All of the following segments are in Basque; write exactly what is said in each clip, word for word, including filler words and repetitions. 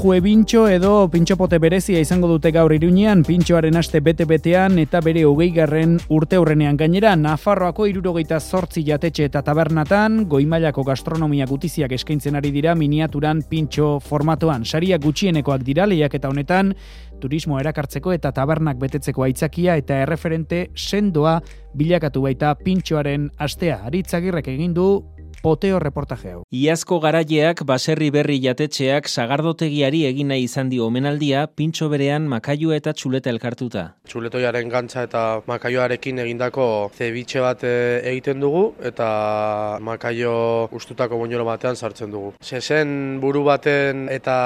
Jue Pintxo edo pintxopote berezia izango dute gaur Iruñean, pintxoaren aste bete-betean eta bere hogeigarren urte hurrenean. Gainera, Nafarroako hirurogeita zortzi jatetxe eta tabernatan, goi-mailako gastronomia gutiziak eskaintzen ari dira miniaturan pintxo formatoan. Sariak gutxienekoak dira lehiaketa honetan, turismo erakartzeko eta tabernak betetzeko aitzakia eta erreferente sendoa bilakatu baita pintxoaren astea. Aritz Agirrek egin du poteo reportaje hau. Iazko garaileak baserri berri jatetxeak sagardotegiari egin nahi izan dio omenaldia, pintxo berean makailua eta txuleta elkartuta. Txuletoiaren gantza eta makaioarekin egindako zebitxe bat egiten dugu eta makaio ustutako boñolo batean sartzen dugu. Sesen buru baten eta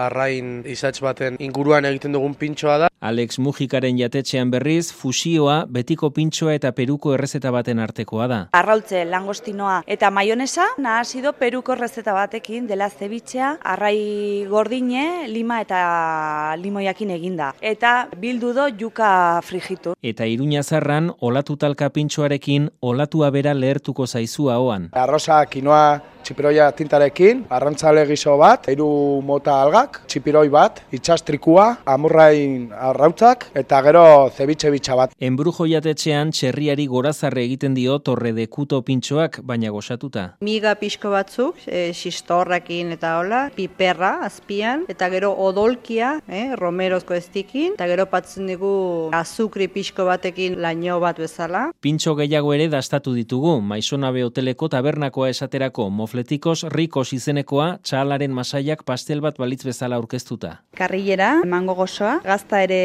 arrain izatz baten inguruan egiten dugun pintxoa da. Alex Mujikaren jatetxean berriz, fusioa betiko pintxoa eta peruko errezeta baten artekoa da. Arrautze, langostinoa eta maionesa nahasido peruko errezeta batekin dela zebitxea, arrai gordine, lima eta limoiakin eginda. Eta bildu do juka frijitu. Eta Iruñazarran, olatu talka pintxoarekin, olatua bera lehertuko zaizu ahoan. Arroza, kinoa, txipiroia tintarekin, arrantzale gizo bat, hiru mota algak, txipiroi bat, itxastrikua, amurrain arrautzak, eta gero zebitxe bitxa bat. Enbrujo jatetxean txerriari gorazarre egiten dio torre de kuto pintxoak, baina gozatuta. Miga pixko batzuk, e, xistorrakin eta hola, piperra azpian, eta gero odolkia, eh, romerozko estikin, eta gero patzen dugu azukri pixko batekin laino bat bezala. Pintxo gehiago ere dastatu ditugu, Maisonabe hoteleko tabernakoa esaterako, mofletikos rikos izenekoa, txalaren masaiak pastel bat balitz bezala aurkeztuta. Karrilera, mango gozoa, gazta ere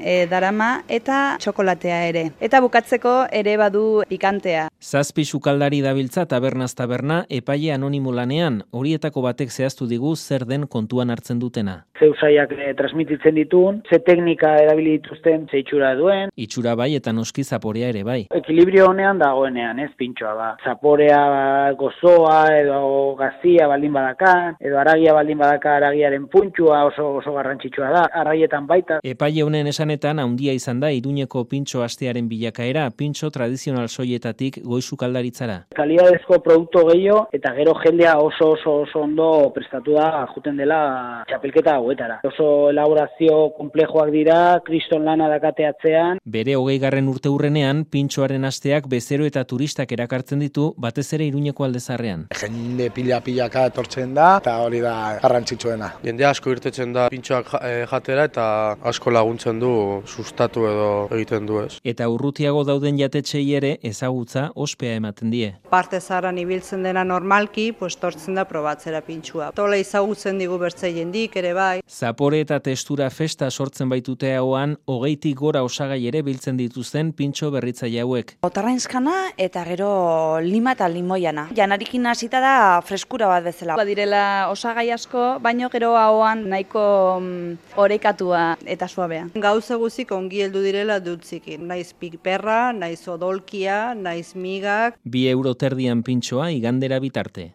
e, darama eta txokolatea ere. Eta bukatzeko ere badu pikantea. Zazpi sukaldari dabiltza tabernaz taberna epaile anonimo lanean, horietako batek zehaztu digu zer den kontuan hartzen dutena. Ze usaiak e, transmititzen ditun, ze teknika erabili dituzten, ze itxura duen. Itxura bai eta noski zaporea ere bai. Ekilibrio honean dagoenean, ez pintxoa ba. Zaporea ba, gozoa edo gazia baldin badakan, edo aragia baldin badaka aragiaren puntxua oso, oso garrantzitsua da, arraietan baita. Epaile honen esanetan handia izan da Iruñeko pintxo astearen bilakaera, pintxo tradizional soietatik goizukaldaritzara. Kalidadezko produktu gehiago eta gero jendea oso oso oso ondo prestatu da juten dela txapelketa hauetara. Oso elaborazio komplejoak dira, kriston lana dakateatzean. Bere hogeigarren urte hurrenean, pintxoaren asteak bezero eta turistak erakartzen ditu, batez ere Iruñeko aldezarrean. Jende pila-pilaka etortzen da, eta hori da garrantzitsuena. Jende asko irtetzen da pintxoak jatera eta asko laguntzen du sustatu edo egiten du ez. Eta urrutiago dauden jatetxei ere ezagutza ospea ematen die. Parte zaharran ibiltzen dena normalki, pues tortzen da probatzera pintxua. Tola ezagutzen digu bertzei jendik ere bai. Zapore eta testura festa sortzen baitute hauan, hogeitik gora osagai ere biltzen dituzten pintxo berritzaile hauek. Otarrainskana eta gero lima eta limoiana. Janarikin hasita da freskura bat bezala. Badirela osagai asko, baino gero ahoan nahiko mm, orekatua eta suabea. Gauza guzik ongi heldu direla dutzikin. Naiz piperra, naiz odolkia, naiz migak. Bi euro terdian pintxoa igandera bitarte.